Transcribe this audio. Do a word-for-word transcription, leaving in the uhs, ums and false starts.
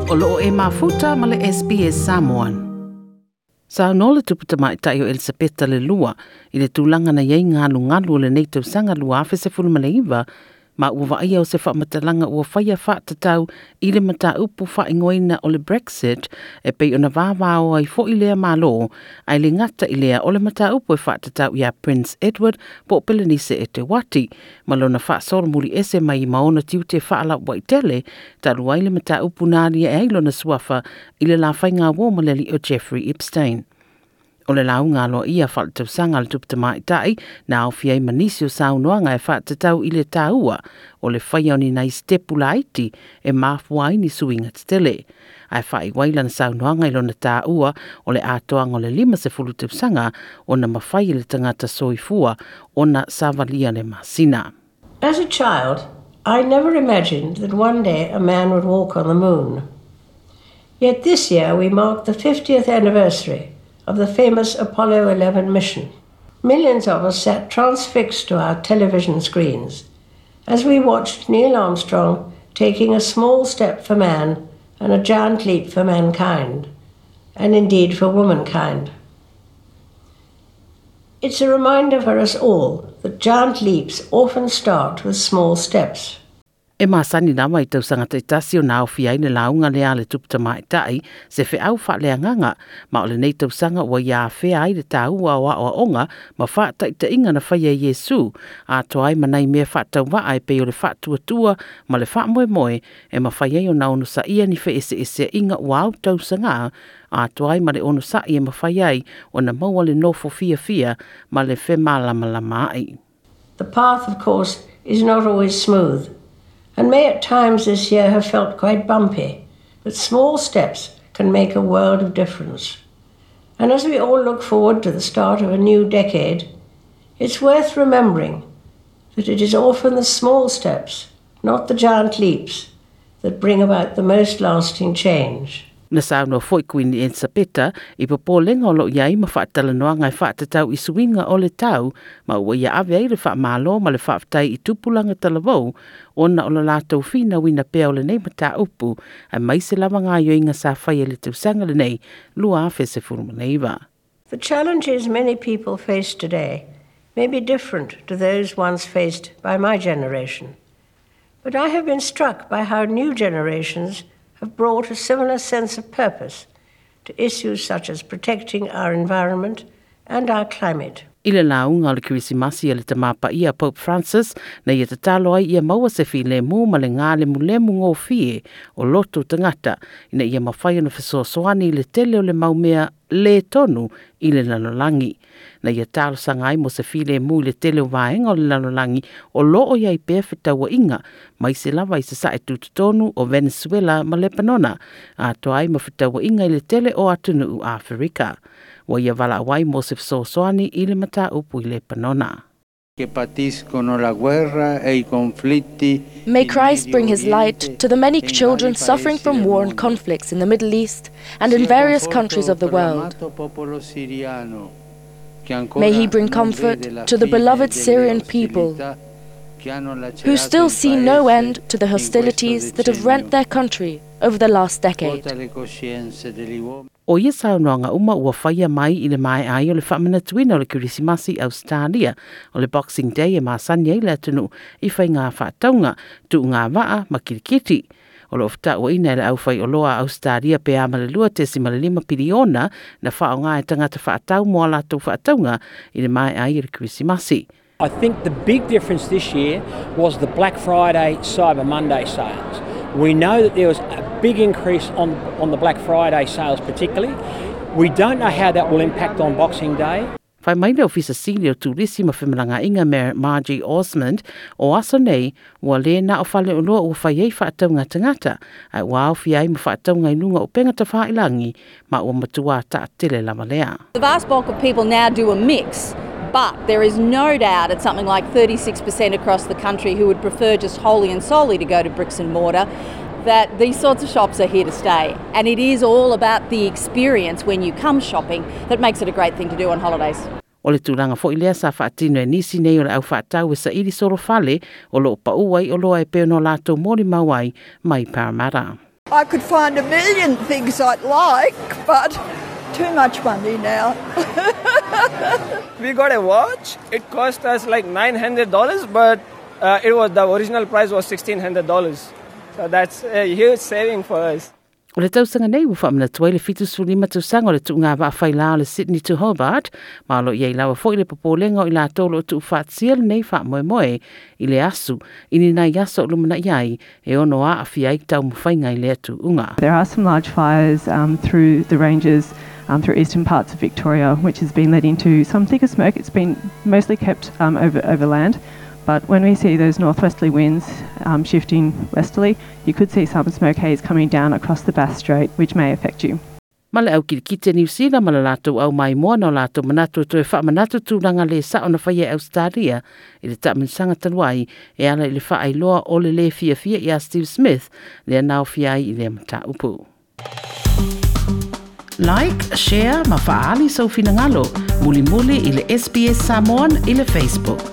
O loo e mafuta ma le S B S Samoan. Saunoa le tupu tamaitai o Elisapeta le lua i le tulaga na iai galugalu o lenei tausaga lua afe sefulu ma le iva ma ua vaaia o se faamatalaga ua faia faatatau i le mataupu faaigoaina o le Brexit e pei ona vavao ai fo'i lea malo ae le gata i lea o le mataupu e faatatau ia Prince Edward po o Pelenise Eteuati ma lona faasolomuli ese mai ma ona tiute faalauaitele talu ai le mataupu na alia ai lona suafa i le lafaiga uo ma le alii o Jeffrey Epstein. O le lauga aloa ia faaletausaga a le tupu tamaitai na aofia ai ma nisi o saunoaga e faatatau i le tāua o le faia o ni nai sitepu laiti e mafua ai ni suiga tetele. Ae faaiuai lana saunoaga i lona tāua o le atoaga o le lima sefulu tausaga ona mafai e le tagata soifua ona savalia le masina. As a child, I never imagined that one day a man would walk on the moon. Yet this year we mark the fiftieth anniversary of the famous Apollo eleven mission. Millions of us sat transfixed to our television screens as we watched Neil Armstrong taking a small step for man and a giant leap for mankind, and indeed for womankind. It's a reminder for us all that giant leaps often start with small steps. E masani lava i tausaga taitasi o na aofia ai le lauga lea a le tupu tamaitai se feau faaleagaga ma o lenei tausaga ua ia afea ai le tāua o aoaoga ma faataitaiga na faia e Iesu atoa ai ma nai mea faatauvaa e pei o le faatuatua ma le faamoemoe e mafai ai ona onosaia ni feeseeseaiga ua au tausaga atoa ai ma le onosai e mafai ai ona maua le nofo fiafia ma le femalamalama ai. The path, of course, is not always smooth, and may at times this year have felt quite bumpy, but small steps can make a world of difference. And as we all look forward to the start of a new decade, it's worth remembering that it is often the small steps, not the giant leaps, that bring about the most lasting change. Na saunoa foi Queen Elisapeta i popolega o loo iai ma faatalanoaga e faatatau i suiga o le tau ma ua ia ave ai le faamalo ma le faafetai i tupulaga talavou ona o le latou finauina pea o lenei mataupu aemaise lava gaoioiga sa faia i le tausaga lenei lua afe sefulu ma le iva. The challenges many people face today may be different to those once faced by my generation, but I have been struck by how new generations have brought a similar sense of purpose to issues such as protecting our environment and our climate. I le lauga o le Kerisimasi a le tamapaia Pope Francis na ia tatalo ai ia maua se filemu ma le galemulemu gofie o loto tagata ina ia mafai ona fesoasoani i le tele o le maumea le tonu i le lalolagi. Na ia talosaga ai mo se filemu i le tele o vaega o le lalolagi o loo iai pea fetauaiga mai se lava i sasae tutotonu o Venezuela ma Lebanona atoa ai ma fetauaiga i le tele o atunuu Aferika. Ua ia valaau ai mo se fesoasoani i le mataupu i Lebanona. Che patiscono la guerra e i conflitti. May Christ bring his light to the many children suffering from war and conflicts in the Middle East and in various countries of the world. May he bring comfort to the beloved Syrian people who still see no end to the hostilities that have rent their country over the last decade. O ia saunoaga uma ua faia mai i le mae ai o le faamanatuina o le Kerisimasi Australia o le Boxing Day e masani ai le atunuu i faiga faatauga tuuga vaa ma kilikiti. O loo fetauaina e le aufaioloa a Australia pe a ma le lua tesima le lima piliona na faaaoga e tagata faatau mo a latou faatauga i le mae ai o le Kerisimasi. I think the big difference this year was the Black Friday, Cyber Monday sales. We know that there was a big increase on, on the Black Friday sales particularly. We don't know how that will impact on Boxing Day. Fai mai le Ofisa Sili o Turisi ma Femalagaaiga Margie Osmond o aso nei ua le na o faleoloa ua fai ai faatauga tagata ae ua aofia ai ma faatauga i luga o upega tafailagi ma ua matua taatele lava lea. The vast bulk of people now do a mix, but there is no doubt at something like thirty-six percent across the country who would prefer just wholly and solely to go to bricks and mortar, that these sorts of shops are here to stay. And it is all about the experience when you come shopping that makes it a great thing to do on holidays. O le tulaga foi lea sa faatino e nisi nei o le au faatau e saili solofale o loo paua ai oloa e pei ona latou molimau ai mai Parramatta. I could find a million things I'd like, but too much money now. We got a watch. It cost us like nine hundred dollars, but uh, it was the original price was sixteen hundred dollars. So that's a huge saving for us. O le tausaga nei ua faamanatu ai le fitusefululima tausaga o le tuuga vaafailā o le Sydney to Hobart, ma o lo o i ai lava foʻi le popolega o i latou o loo tuufaatasia lenei faamoemoe i le asu i ni nai aso o lumanaʻi ai e ono aafia ai taumafaiga i lea tuuga. There are some large fires um, through the ranges, um, through eastern parts of Victoria, which has been leading to some thicker smoke. It's been mostly kept um, over, over land. But when we see those northwesterly winds um, shifting westerly, you could see some smoke haze coming down across the Bass Strait, which may affect you. Ma le au kilikiti Niu Sila ma le latou au maimoa na o latou manatu e toe faamanatu tulaga lē saʻo na faia e Ausetalia i le taamilosaga talu ai e ala i le faailoa o le lē fiafia iā Steve Smith lea na aofia ai i lea mataupu. Like, share ma faaali sou finagalo, mulimuli i le S B S Samoan i le Facebook.